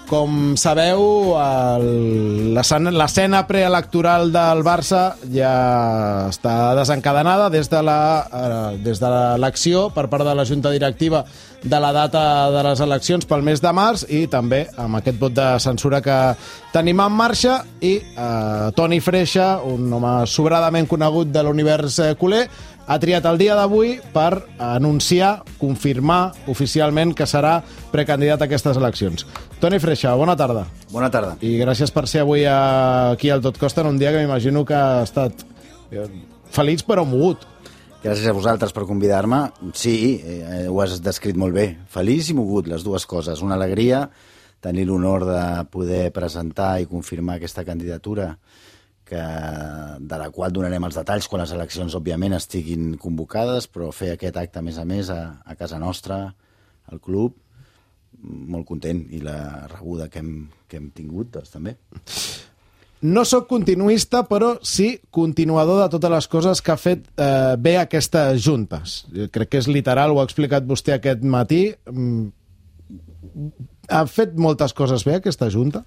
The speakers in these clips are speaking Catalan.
Com sabeu, l'escena preelectoral del Barça ja està desencadenada des de l'elecció per part de la Junta Directiva de la data de les eleccions pel mes de març i també amb aquest vot de censura que tenim en marxa i Toni Freixa, un home sobradament conegut de l'univers culer, ha triat el dia d'avui per anunciar, confirmar oficialment que serà precandidat a aquestes eleccions. Toni Freixa, bona tarda. Bona tarda. I gràcies per ser avui aquí al Tot Costa en un dia que m'imagino que ha estat feliç però mogut. Gràcies a vosaltres per convidar-me. Sí, ho has descrit molt bé. Feliç i mogut, les dues coses. Una alegria, tenir l'honor de poder presentar i confirmar aquesta candidatura de la qual donarem els detalls quan les eleccions, òbviament, estiguin convocades, però fer aquest acte, a més, a casa nostra, al club, molt content, i la rebuda que hem tingut, doncs, també. No sóc continuista, però sí continuador de totes les coses que ha fet bé aquesta Junta. Crec que és literal, ho ha explicat vostè aquest matí. Ha fet moltes coses bé aquesta Junta?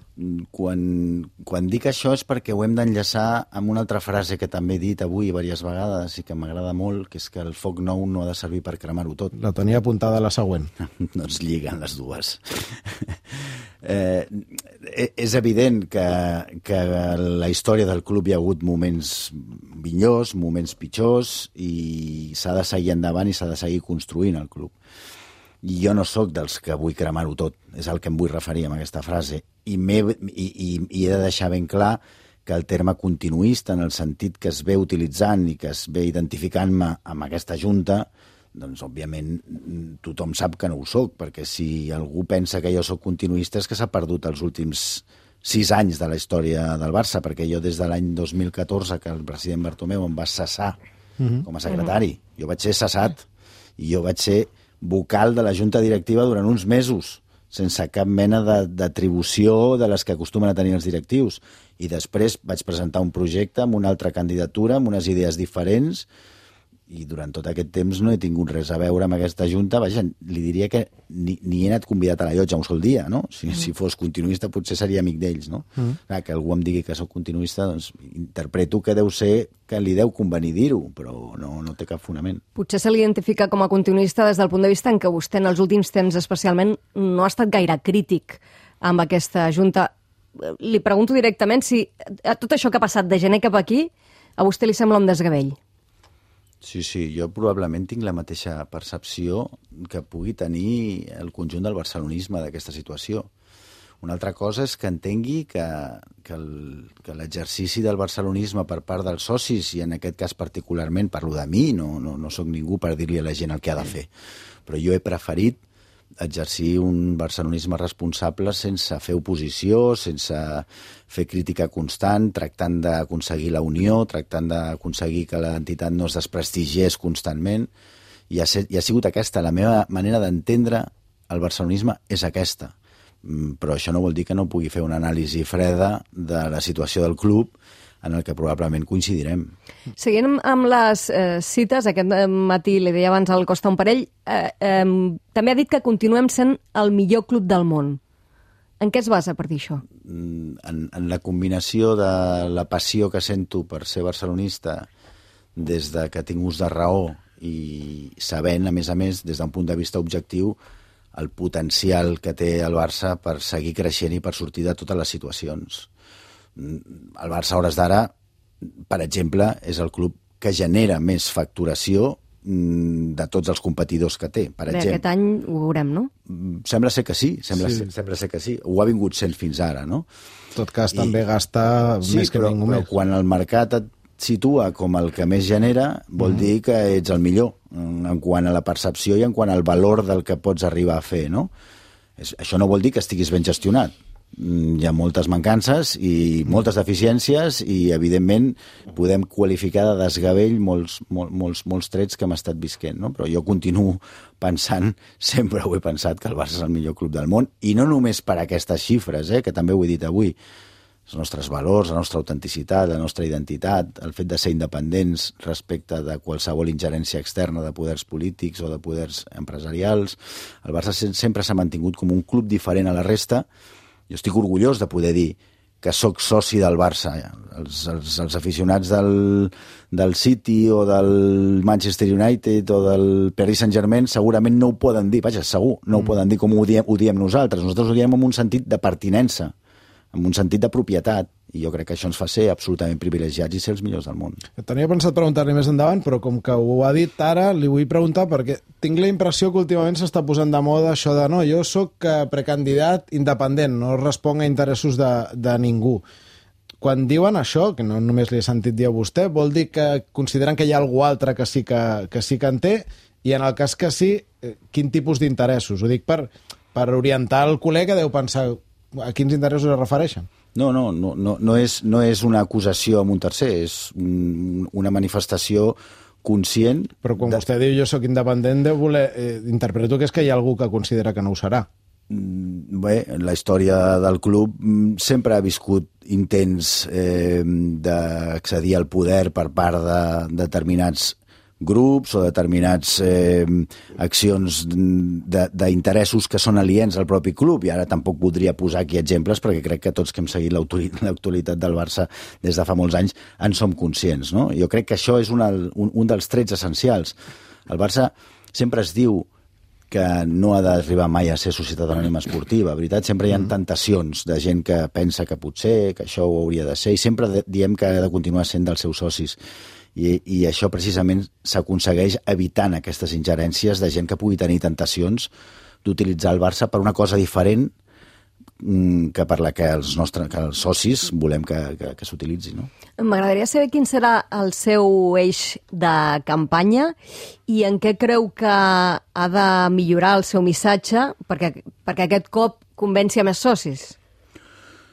Quan dic això és perquè ho hem d'enllaçar amb una altra frase que també he dit avui diverses vegades i que m'agrada molt, que és que el foc nou no ha de servir per cremar-ho tot. La tenia apuntada a la següent. No es lliguen les dues. És evident que a la història del club hi ha hagut moments millors, moments pitjors, i s'ha de seguir endavant i s'ha de seguir construint el club. I jo no sóc dels que vull cremar-ho tot, és el que em vull referir amb aquesta frase. I he de deixar ben clar que el terme continuista, en el sentit que es ve utilitzant i que es ve identificant-me amb aquesta Junta, doncs, òbviament, tothom sap que no ho sóc, perquè si algú pensa que jo sóc continuista és que s'ha perdut els últims 6 anys de la història del Barça, perquè jo des de l'any 2014, que el president Bartomeu em va cessar com a secretari, jo vaig ser cessat i jo vaig ser vocal de la Junta Directiva durant uns mesos, sense cap mena d'atribució de les que acostumen a tenir els directius. I després vaig presentar un projecte amb una altra candidatura, amb unes idees diferents, i durant tot aquest temps no he tingut res a veure amb aquesta Junta. Vaja, li diria que ni he anat convidat a la llotja un sol dia, no? Si fos continuista potser seria amic d'ells, no? Clar, que algú em digui que sóc continuista, doncs interpreto que deu ser que li deu convenir dir-ho, però no té cap fonament. Potser se l'identifica com a continuista des del punt de vista en què vostè en els últims temps especialment no ha estat gaire crític amb aquesta Junta. Li pregunto directament si tot això que ha passat de gener cap aquí a vostè li sembla un desgavell. Sí, jo probablement tinc la mateixa percepció que pugui tenir el conjunt del barcelonisme d'aquesta situació. Una altra cosa és que entengui que l'exercici del barcelonisme per part dels socis, i en aquest cas particularment parlo de mi, no sóc ningú per dir-li a la gent el que ha de fer, però jo he preferit exercir un barcelonisme responsable sense fer oposició, sense fer crítica constant, tractant d'aconseguir la unió, tractant d'aconseguir que l'entitat no es desprestigiés constantment. I ha sigut aquesta. La meva manera d'entendre el barcelonisme és aquesta. Però això no vol dir que no pugui fer una anàlisi freda de la situació del club, en el que probablement coincidirem. Seguint amb les cites, aquest matí li deia abans al Costa un parell, també ha dit que continuem sent el millor club del món. En què es basa per dir això? En la combinació de la passió que sento per ser barcelonista des de que tinc ús de raó i sabent, a més, des d'un punt de vista objectiu, el potencial que té el Barça per seguir creixent i per sortir de totes les situacions. El Barça, a hores d'ara, per exemple, és el club que genera més facturació de tots els competidors que té. Per exemple, aquest any ho veurem, no? Sembla ser que sí, sembla ser que sí. Ho ha vingut sent fins ara, no? En tot cas, també gasta més que ningú més. Però quan el mercat et situa com el que més genera, vol dir que ets el millor, en quant a la percepció i en quant al valor del que pots arribar a fer, no? Això no vol dir que estiguis ben gestionat. Hi ha moltes mancances i moltes deficiències i, evidentment, podem qualificar de desgavell molts trets que hem estat visquent, no? Però jo continuo pensant, sempre ho he pensat, que el Barça és el millor club del món, i no només per aquestes xifres, que també ho he dit avui. Els nostres valors, la nostra autenticitat, la nostra identitat, el fet de ser independents respecte de qualsevol ingerència externa de poders polítics o de poders empresarials. El Barça sempre s'ha mantingut com un club diferent a la resta, Jo estic orgullós de poder dir que sóc soci del Barça. Els aficionats del City o del Manchester United o del Paris Saint-Germain segurament no ho poden dir, vaja, segur, no ho poden dir com ho diem nosaltres. Nosaltres ho diem en un sentit de pertinença, en un sentit de propietat, i jo crec que això ens fa ser absolutament privilegiats i ser els millors del món. Tenia pensat preguntar-li més endavant, però com que ho ha dit ara, li vull preguntar perquè tinc la impressió que últimament s'està posant de moda això de no, jo sóc precandidat independent, no responc a interessos de ningú. Quan diuen això, que no només li he sentit dir a vostè, vol dir que consideren que hi ha algú altre que sí que en té, i en el cas que sí, quin tipus d'interessos? Ho dic per orientar el col·lega, deu pensar a quins interessos es refereixen. No és una acusació amb un tercer, és una manifestació conscient... Però quan vostè diu jo sóc independent, deu voler... interpreto que és que hi ha algú que considera que no ho serà. Bé, la història del club sempre ha viscut intents d'accedir al poder per part de determinats grups o determinats accions d'interessos que són aliens al propi club, i ara tampoc voldria posar aquí exemples perquè crec que tots que hem seguit l'actualitat del Barça des de fa molts anys en som conscients, no? Jo crec que això és un dels trets essencials. El Barça sempre es diu que no ha d'arribar mai a ser societat anònima esportiva, veritat? Sempre hi ha tentacions de gent que pensa que potser, que això ho hauria de ser, i sempre diem que ha de continuar sent dels seus socis. I això precisament s'aconsegueix evitant aquestes ingerències de gent que pugui tenir tentacions d'utilitzar el Barça per una cosa diferent que per la que els socis volem que s'utilitzi, no? M'agradaria saber quin serà el seu eix de campanya i en què creu que ha de millorar el seu missatge perquè aquest cop convenci a més socis.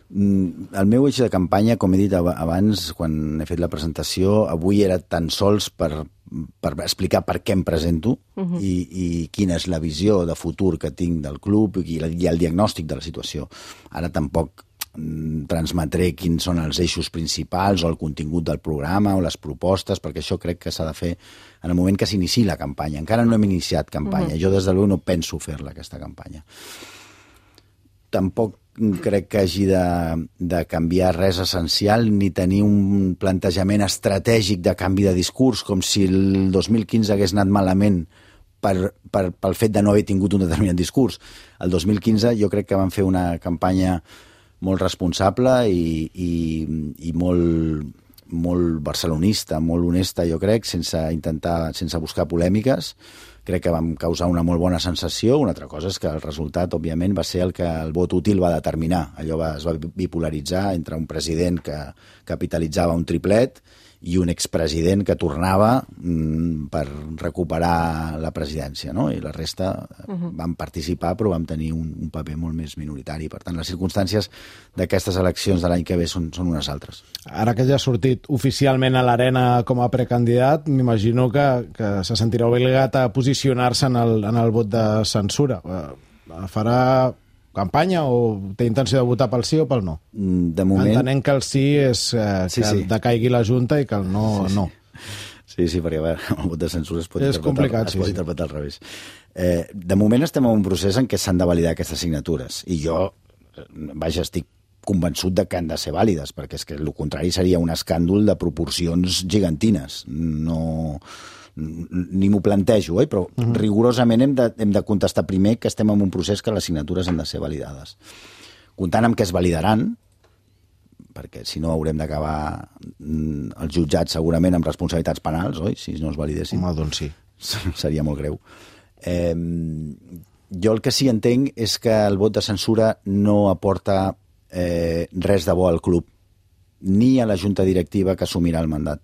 El meu eix de campanya, com he dit abans, quan he fet la presentació, avui era tan sols per explicar per què em presento i quina és la visió de futur que tinc del club i el diagnòstic de la situació. Ara tampoc transmetré quins són els eixos principals o el contingut del programa o les propostes, perquè això crec que s'ha de fer en el moment que s'inici la campanya. Encara no hem iniciat campanya. Jo, des de l'UE, no penso fer-la, aquesta campanya. Tampoc crec que hagi de canviar res essencial ni tenir un plantejament estratègic de canvi de discurs, com si el 2015 hagués anat malament pel fet de no haver tingut un determinat discurs. El 2015 jo crec que van fer una campanya molt responsable i molt barcelonista, molt honesta, jo crec, sense buscar polèmiques. Crec que vam causar una molt bona sensació. Una altra cosa és que el resultat, òbviament, va ser el que el vot útil va determinar. Allò es va bipolaritzar entre un president que capitalitzava un triplet i un expresident que tornava per recuperar la presidència, no? I la resta van participar, però vam tenir un paper molt més minoritari. Per tant, les circumstàncies d'aquestes eleccions de l'any que ve són unes altres. Ara que ja ha sortit oficialment a l'arena com a precandidat, m'imagino que se sentirà obligat a posicionar-se en el vot de censura. Farà campanya o té intenció de votar pel sí o pel no? De moment... Entenent que el sí és que decaigui la Junta i que el no, no. Sí, perquè el vot de censura es pot interpretar al revés. De moment estem en un procés en què s'han de validar aquestes signatures i jo, estic convençut de que han de ser vàlides, perquè és que el contrari seria un escàndol de proporcions gegantines. Ni m'ho plantejo, però rigorosament hem de contestar primer que estem en un procés que les signatures han de ser validades. Comptant amb què es validaran, perquè si no haurem d'acabar els jutjats segurament amb responsabilitats penals, oi? Si no es validessin. Home, doncs sí. Seria molt greu. Jo el que sí entenc és que el vot de censura no aporta res de bo al club, ni a la junta directiva que assumirà el mandat.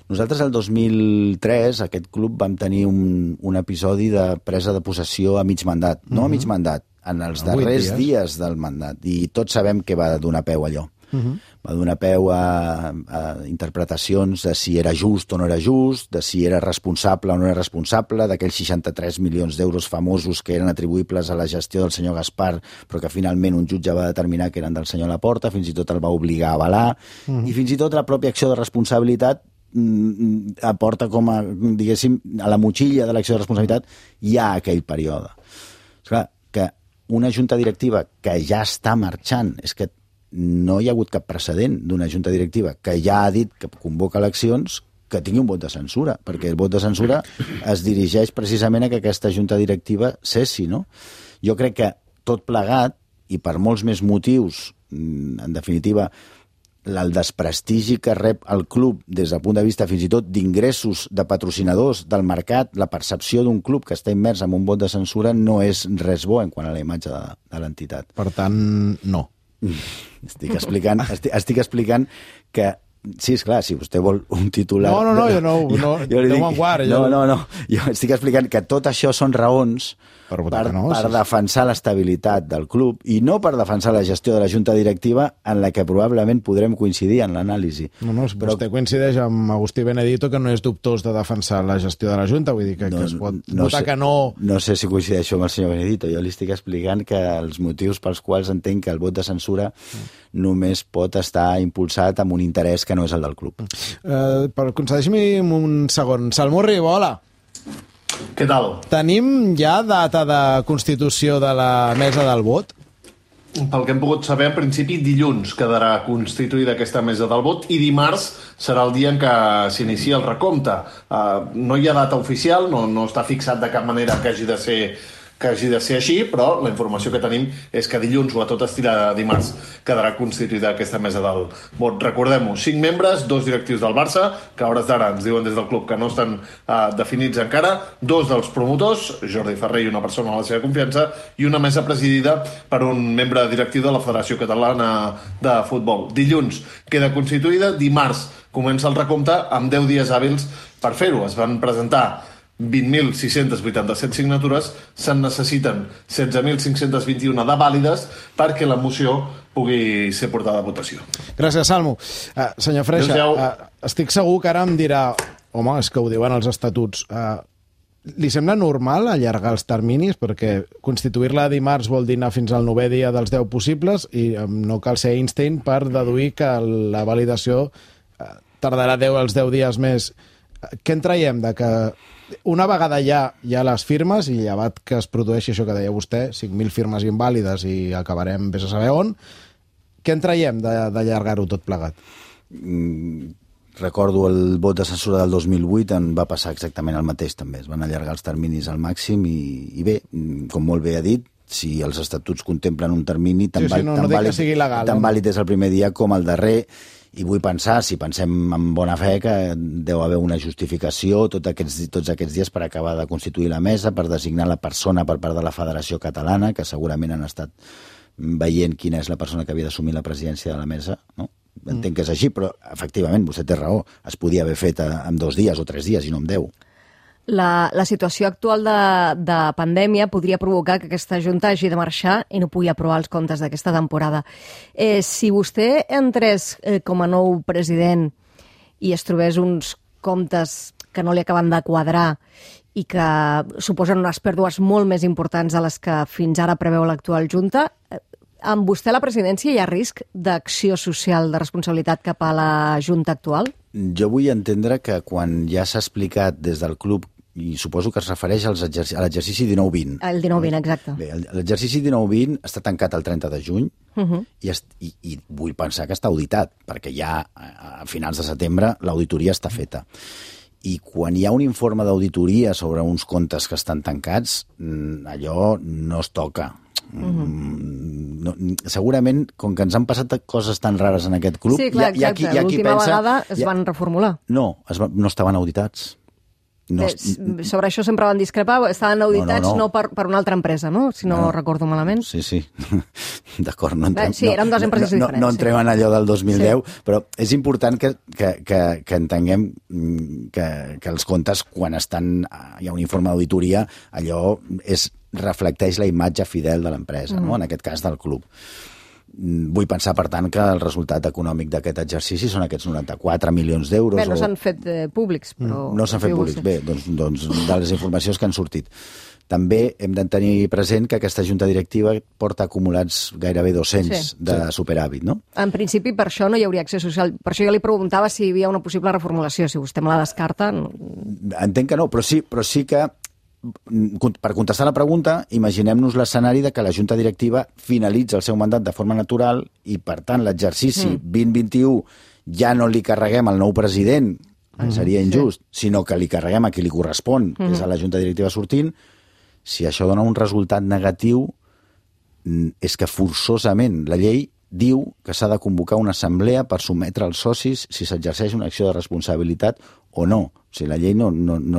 Nosaltres, el 2003, aquest club vam tenir un episodi de presa de possessió a mig mandat. No a mig mandat, en els darrers dies del mandat. I tots sabem què va donar peu allò. Va donar peu a interpretacions de si era just o no era just, de si era responsable o no era responsable, d'aquells 63 milions d'euros famosos que eren atribuïbles a la gestió del senyor Gaspar, però que finalment un jutge va determinar que eren del senyor Laporta, fins i tot el va obligar a avalar, i fins i tot la pròpia acció de responsabilitat aporta com a, diguéssim, a la motxilla de l'acció de responsabilitat hi ha aquell període. És clar que una junta directiva que ja està marxant, és que no hi ha hagut cap precedent d'una junta directiva que ja ha dit que convoca eleccions que tingui un vot de censura, perquè el vot de censura es dirigeix precisament a que aquesta junta directiva cessi, no? Jo crec que tot plegat, i per molts més motius, en definitiva, el desprestigi que rep el club des del punt de vista fins i tot d'ingressos de patrocinadors del mercat, la percepció d'un club que està immers en un vot de censura no és res bo en quant a la imatge de l'entitat. Per tant, no. Estic explicant que sí, és clar, si vostè vol un titular... No, jo li dic... No, jo estic explicant que tot això són raons per defensar l'estabilitat del club i no per defensar la gestió de la junta directiva en la que probablement podrem coincidir en l'anàlisi. No, vostè coincideix amb Agustí Benedito que no és dubtós de defensar la gestió de la junta, vull dir que es pot votar que no... No sé si coincideixo amb el senyor Benedito, jo li estic explicant que els motius pels quals entenc que el vot de censura només pot estar impulsat amb un interès que no és el del club. Concedeix-me un segon. Salmurri, hola. Què tal? Tenim ja data de constitució de la mesa del vot? Pel que hem pogut saber, en principi dilluns quedarà constituïda aquesta mesa del vot i dimarts serà el dia en què s'inicia el recompte. No hi ha data oficial, no està fixat de cap manera que hagi de ser així, però la informació que tenim és que dilluns o a tot estirar dimarts quedarà constituïda aquesta mesa del vot. Recordem-ho, 5 membres, 2 directius del Barça, que a hores d'ara ens diuen des del club que no estan definits encara, 2 dels promotors, Jordi Ferrer i una persona a la seva confiança, i una mesa presidida per un membre directiu de la Federació Catalana de Futbol. Dilluns queda constituïda, dimarts comença el recompte amb 10 dies hàbils per fer-ho. Es van presentar 20.687 signatures, se'n necessiten 16.521 de vàlides perquè la moció pugui ser portada a votació. Gràcies, Salmo. Senyor Freixa, estic segur que ara em dirà home, és que ho diuen els estatuts. Li sembla normal allargar els terminis? Perquè constituir-la dimarts vol dir anar fins al 9è dia dels 10 possibles i no cal ser Einstein per deduir que la validació tardarà els 10 dies més. Què en traiem de que una vegada ja hi ha les firmes i llevat que es produeixi això que deia vostè, 5.000 firmes invàlides i acabarem vés a saber on, què en traiem d'allargar-ho tot plegat? Recordo el vot de censura del 2008 en va passar exactament el mateix també, es van allargar els terminis al màxim i bé, com molt bé ha dit, si els estatuts contemplen un termini tan vàlid des del primer dia com el darrer. I vull pensar, si pensem en bona fe, que deu haver una justificació tots aquests dies per acabar de constituir la mesa, per designar la persona per part de la Federació Catalana, que segurament han estat veient quina és la persona que havia d'assumir la presidència de la mesa, no? Entenc que és així, però efectivament, vostè té raó, es podia haver fet en 2 dies o 3 dies i no en 10. La situació actual de pandèmia podria provocar que aquesta Junta hagi de marxar i no pugui aprovar els comptes d'aquesta temporada. Si vostè entrés com a nou president i es trobés uns comptes que no li acaben de quadrar i que suposen unes pèrdues molt més importants de les que fins ara preveu l'actual Junta, amb vostè a la presidència hi ha risc d'acció social de responsabilitat cap a la Junta actual? Jo vull entendre que quan ja s'ha explicat des del club, i suposo que es refereix a l'exercici 19-20. El 19-20, exacte. Bé, l'exercici 19-20 està tancat el 30 de juny i vull pensar que està auditat, perquè ja a finals de setembre l'auditoria està feta. I quan hi ha un informe d'auditoria sobre uns comptes que estan tancats, allò no es toca. Segurament, com que ens han passat coses tan rares en aquest club... Sí, clar, exacte. L'última vegada es van reformular. No estaven auditats. Sobre això sempre van discrepar, estaven auditats no per una altra empresa, no? Si no recordo malament. Sí. D'acord, sí, eren dues empreses diferents. No entrem en allò del 2010, però és important que entenguem que els comptes, quan hi ha un informe d'auditoria, allò reflecteix la imatge fidel de l'empresa, no? En aquest cas del club. Vull pensar, per tant, que el resultat econòmic d'aquest exercici són aquests 94 milions d'euros. Bé, no s'han fet públics, però... No s'han fet públics, bé, doncs de les informacions que han sortit. També hem de tenir present que aquesta junta directiva porta acumulats gairebé 200 de superàvit, no? En principi, per això no hi hauria acció social. Per això jo li preguntava si hi havia una possible reformulació. Si vostè me la descarta... Entenc que no, però sí que per contestar la pregunta, imaginem-nos l'escenari de que la Junta Directiva finalitza el seu mandat de forma natural i, per tant, l'exercici 2021 ja no li carreguem al nou president, seria injust, sinó que li carreguem a qui li correspon, que és a la Junta Directiva sortint. Si això dona un resultat negatiu, és que forçosament la llei diu que s'ha de convocar una assemblea per sometre als socis si s'exerceix una acció de responsabilitat o no. O sigui, la llei no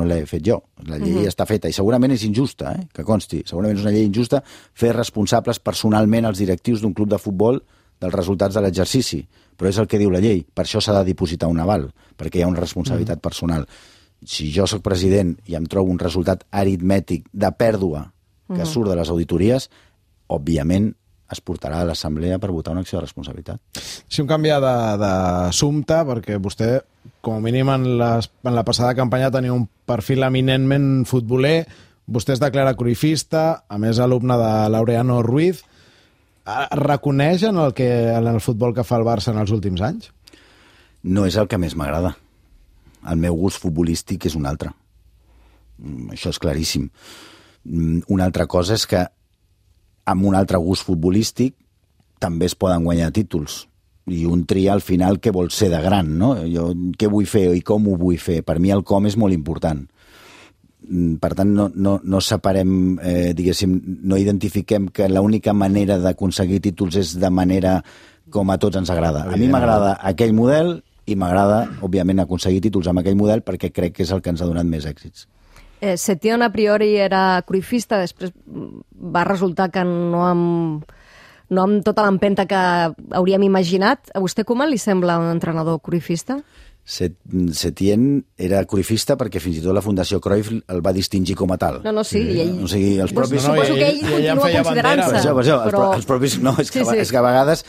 l'he fet jo. La llei està feta i segurament és injusta, que consti. Segurament és una llei injusta fer responsables personalment els directius d'un club de futbol dels resultats de l'exercici, però és el que diu la llei. Per això s'ha de dipositar un aval, perquè hi ha una responsabilitat personal. Si jo sóc president i em trobo un resultat aritmètic de pèrdua que surt de les auditories, òbviament es portarà a l'assemblea per votar una acció de responsabilitat. Si un canvia d'assumpte, perquè vostè, com a mínim en la passada campanya, tenia un perfil eminentment futboler, vostè es declara cruifista, a més alumne de Laureano Ruiz. Reconeix en el futbol que fa el Barça en els últims anys? No és el que més m'agrada. El meu gust futbolístic és un altre. Això és claríssim. Una altra cosa és que amb un altre gust futbolístic també es poden guanyar títols. I un tria al final què vol ser de gran, no? Jo què vull fer i com ho vull fer. Per mi el com és molt important. Per tant, no separem, diguéssim, no identifiquem que l'única manera d'aconseguir títols és de manera com a tots ens agrada. A mi m'agrada aquell model i m'agrada, òbviament, aconseguir títols amb aquell model perquè crec que és el que ens ha donat més èxits. Setién a priori era cruifista, després va resultar que no amb tota l'empenta que hauríem imaginat. A vostè Koeman li sembla un entrenador cruifista? Setién era cruifista perquè fins i tot la Fundació Cruyff el va distingir com a tal. No, sí, i ell... O sigui, els propis... Suposo que ell continua considerant-se. Per això, els propis... No, és que a vegades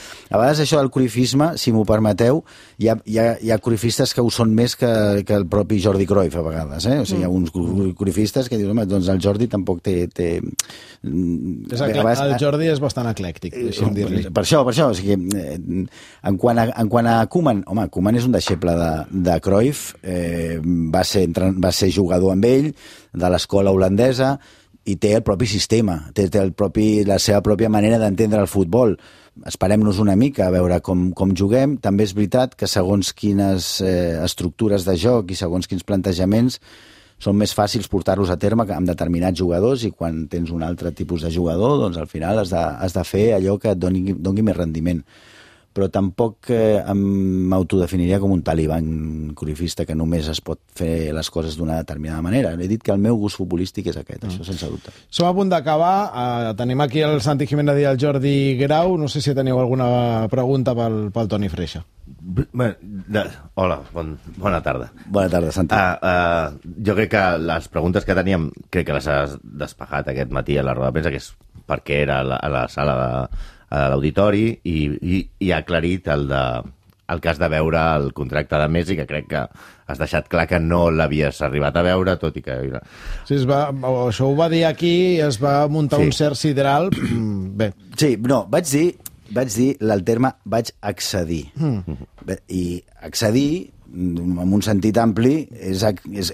això del cruifisme, si m'ho permeteu, hi ha cruifistes que ho són més que el propi Jordi Cruyff, a vegades. O sigui, hi ha uns cruifistes que diuen, home, doncs el Jordi tampoc té... El Jordi és bastant eclèctic, deixa'm dir-li. Per això, o sigui, en quant a Koeman, home, Koeman és un deixeble de Cruyff, va ser jugador amb ell, de l'escola holandesa, i té el propi sistema, té la seva pròpia manera d'entendre el futbol. Esperem-nos una mica a veure com juguem. També és veritat que segons quines estructures de joc i segons quins plantejaments són més fàcils portar-los a terme amb determinats jugadors, i quan tens un altre tipus de jugador, doncs al final has de fer allò que et doni més rendiment. Però tampoc m'autodefiniria com un talibán cruifista que només es pot fer les coses d'una determinada manera. He dit que el meu gust futbolístic és aquest, això sense dubte. Som a punt d'acabar. Tenim aquí el Santi Jiménez i el Jordi Grau. No sé si teniu alguna pregunta pel Toni Freixa. Hola, bona tarda. Bona tarda, Santi. Jo crec que les preguntes que teníem, crec que les has despejat aquest matí a la roda de premsa, que és per què era a la sala a l'auditori, i ha aclarit el cas de veure el contracte de Messi, que crec que has deixat clar que no l'havies arribat a veure, tot i que... Sí, això ho va dir aquí i es va muntar un cert sideral. Bé. Sí, no, vaig dir el terme vaig accedir. I accedir, en un sentit ampli, és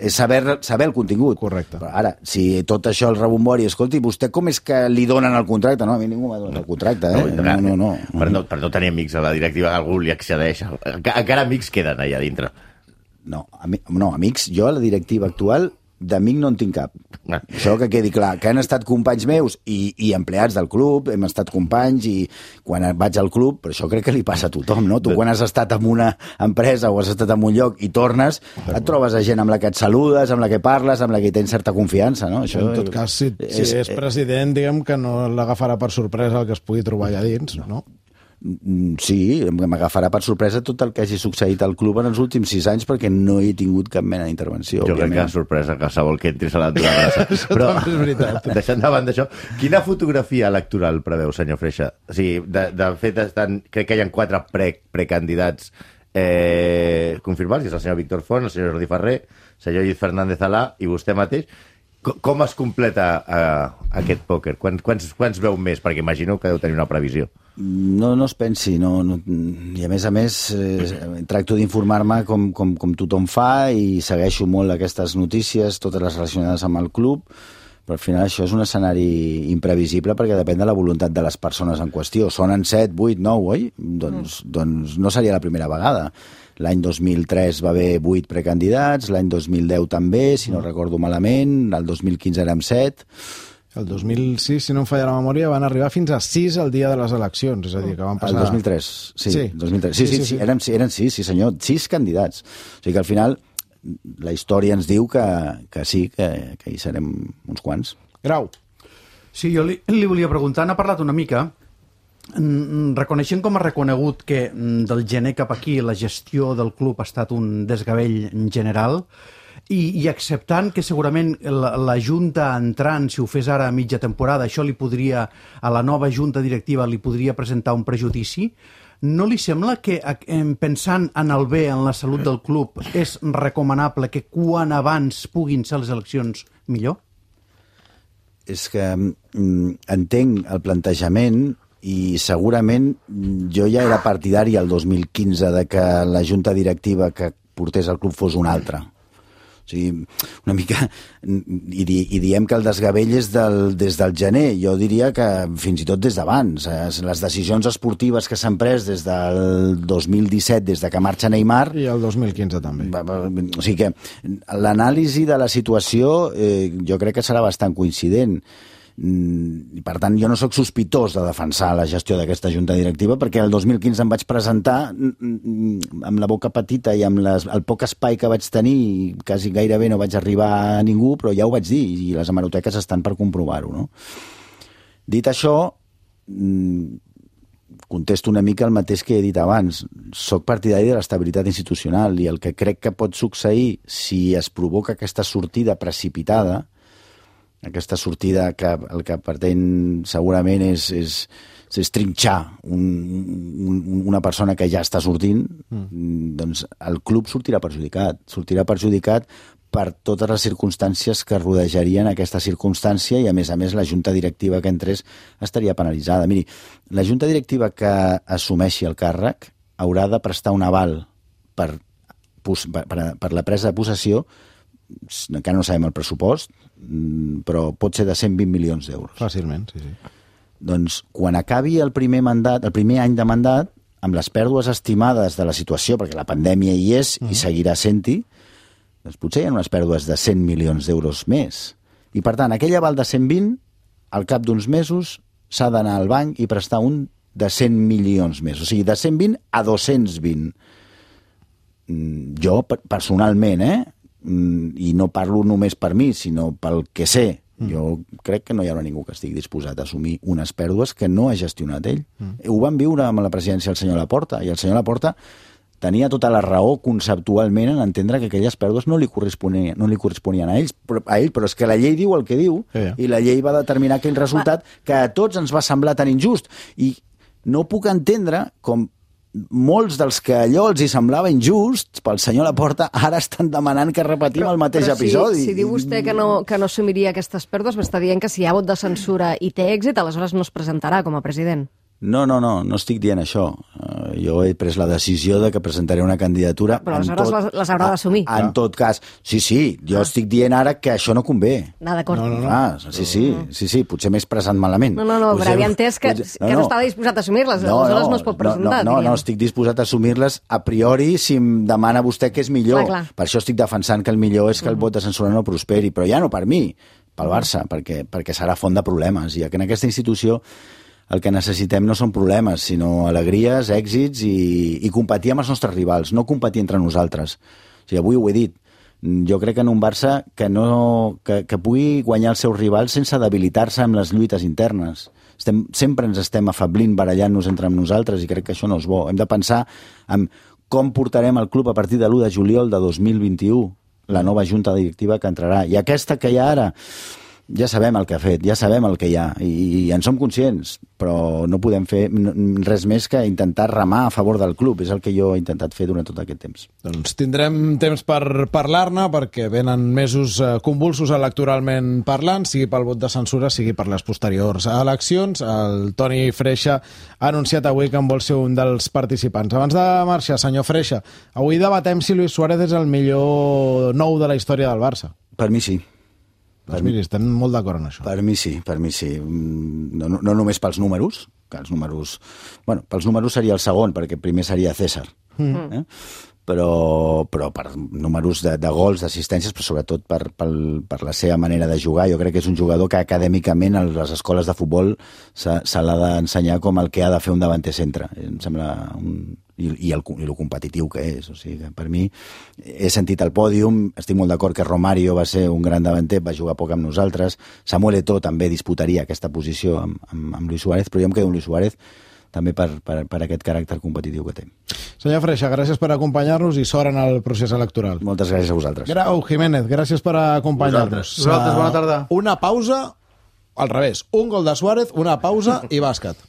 saber el contingut. Correcte. Però ara, si tot això el rebombori, escolti, vostè com és que li donen el contracte? No, a mi ningú m'ha donat el contracte, No. Per no tenir amics a la directiva, algú li accedeix. Encara amics queden allà dintre. No, amics, jo a la directiva actual d'amic no en tinc cap. Això que quedi clar, que han estat companys meus i empleats del club, hem estat companys, i quan vaig al club, però això crec que li passa a tothom, no? Tu quan has estat en una empresa o has estat en un lloc i tornes, et trobes a gent amb la que et saludes, amb la que parles, amb la que tens certa confiança, no? Això, en tot cas, si és president, diguem que no l'agafarà per sorpresa el que es pugui trobar allà dins, no? Sí, m'agafarà per sorpresa tot el que hagi succeït al club en els últims 6 anys, perquè no he tingut cap mena d'intervenció. Jo crec que sorpresa qualsevol que entris a l'entrada. Però, és veritat. Deixant davant d'això, quina fotografia electoral preveu, senyor Freixa? O sigui, de fet, crec que hi ha 4 precandidats confirmats, és el senyor Víctor Font, el senyor Jordi Ferrer, el senyor Lluís Fernández Alà i vostè mateix. Com es completa aquest pòquer? Quants veu més? Perquè imagino que deu tenir una previsió. No es pensi, i a més tracto d'informar-me com tothom fa, i segueixo molt aquestes notícies, totes les relacionades amb el club, Però al final això és un escenari imprevisible perquè depèn de la voluntat de les persones en qüestió. Sonen 7, 8, 9, oi? Doncs no seria la primera vegada. L'any 2003 va haver 8 precandidats, l'any 2010 també, si no recordo malament, el 2015 érem 7. El 2006, si no em falla la memòria, van arribar fins a 6 el dia de les eleccions, és a dir, que van passar... El 2003, sí. 2003. Sí, eren 6, sí senyor, 6 candidats. O sigui que al final la història ens diu que sí, que hi serem uns quants. Grau. Sí, jo li volia preguntar, n'ha parlat una mica, reconeixent com ha reconegut que del gener cap aquí la gestió del club ha estat un desgavell general i acceptant que segurament la junta entrant, si ho fes ara a mitja temporada, això li podria, a la nova junta directiva li podria presentar un prejudici, no li sembla que, pensant en el bé, en la salut del club, és recomanable que quan abans puguin ser les eleccions millor? És que entenc el plantejament i segurament jo ja era partidari el 2015 de que la junta directiva que portés el club fos una altra. O sigui, una mica... I diem que el desgavell és des del gener. Jo diria que fins i tot des d'abans. Les decisions esportives que s'han pres des del 2017, des de que marxa Neymar... I el 2015 també. O sigui que l'anàlisi de la situació jo crec que serà bastant coincident. I per tant jo no sóc sospitós de defensar la gestió d'aquesta junta directiva perquè el 2015 em vaig presentar amb la boca petita i amb el poc espai que vaig tenir i quasi gairebé no vaig arribar a ningú, però ja ho vaig dir i les hemeroteques estan per comprovar-ho, no? Dit això, contesto una mica el mateix que he dit abans. Soc partidari de l'estabilitat institucional i el que crec que pot succeir si es provoca aquesta sortida precipitada, aquesta sortida que el que pretén segurament és trinxar una persona que ja està sortint, doncs el club sortirà perjudicat per totes les circumstàncies que rodejarien aquesta circumstància i, a més, la junta directiva que entrés estaria penalitzada. Miri, la junta directiva que assumeixi el càrrec haurà de prestar un aval per la presa de possessió, encara no sabem el pressupost, però pot ser de 120 milions d'euros. Fàcilment, sí. Doncs quan acabi el primer any de mandat, amb les pèrdues estimades de la situació, perquè la pandèmia hi és i seguirà sent-hi, doncs potser hi ha unes pèrdues de 100 milions d'euros més. I per tant, aquell aval de 120, al cap d'uns mesos, s'ha d'anar al banc i prestar un de 100 milions més. O sigui, de 120 a 220. Jo, personalment, i no parlo només per mi, sinó pel que sé, jo crec que no hi haurà ningú que estigui disposat a assumir unes pèrdues que no ha gestionat ell. Ho vam viure amb la presidència del senyor Laporta, i el senyor Laporta tenia tota la raó conceptualment en entendre que aquelles pèrdues no li corresponien a ell, però és que la llei diu el que diu, i la llei va determinar aquell resultat que a tots ens va semblar tan injust. I no puc entendre com molts dels que allò els hi semblava injust pel senyor Laporta ara estan demanant que repetim el mateix episodi. Si diu vostè que no assumiria aquestes pèrdues, m'està dient que si hi ha vot de censura i té èxit, aleshores no es presentarà com a president. No estic dient això. Jo he pres la decisió de que presentaré una candidatura... Però aleshores les haurà d'assumir. En tot cas, sí, jo estic dient ara que això no convé. D'acord. Sí, potser m'he expressat malament. No, però havia entès que no estava disposat a assumir-les, aleshores no es pot presentar. No, estic disposat a assumir-les a priori si em demana vostè que és millor. Clar. Per això estic defensant que el millor és que el vot de censura no prosperi, però ja no per mi, pel Barça, perquè serà font de problemes. I que en aquesta institució el que necessitem no són problemes, sinó alegries, èxits i competir amb els nostres rivals, no competir entre nosaltres. O sigui, avui ho he dit. Jo crec en un Barça que pugui guanyar els seus rivals sense debilitar-se amb les lluites internes. Sempre ens estem afablint, barallant-nos entre nosaltres i crec que això no és bo. Hem de pensar en com portarem el club a partir de l'1 de juliol de 2021, la nova junta directiva que entrarà. I aquesta que hi ha ara... Ja sabem el que ha fet, ja sabem el que hi ha i en som conscients, però no podem fer res més que intentar remar a favor del club. És el que jo he intentat fer durant tot aquest temps. Doncs tindrem temps per parlar-ne perquè venen mesos convulsos electoralment parlant, sigui pel vot de censura, sigui per les posteriors eleccions. El Toni Freixa ha anunciat avui que en vol ser un dels participants. Abans de marxar, senyor Freixa, avui debatem si Luis Suárez és el millor nou de la història del Barça. Per mi sí. Doncs miri, estem molt d'acord en això. Per mi sí. No només pels números, que els números... Bueno, pels números seria el segon, perquè primer seria César. Però per números de gols, d'assistències, però sobretot per la seva manera de jugar. Jo crec que és un jugador que acadèmicament a les escoles de futbol se l'ha d'ensenyar com el que ha de fer un davanter centre. Em sembla i el competitiu que és. O sigui, que per mi he sentit el pòdium, estic molt d'acord que Romario va ser un gran davanter, va jugar poc amb nosaltres, Samuel Eto'o també disputaria aquesta posició amb Luis Suárez, però jo em quedo amb Luis Suárez també per aquest caràcter competitiu que té. Senyor Freixa, gràcies per acompanyar-nos i sort en el procés electoral. Moltes gràcies a vosaltres. Grau Jiménez, gràcies per acompanyar-nos. Vosaltres, bona tarda. Una pausa, al revés, un gol de Suárez, una pausa i bàsquet.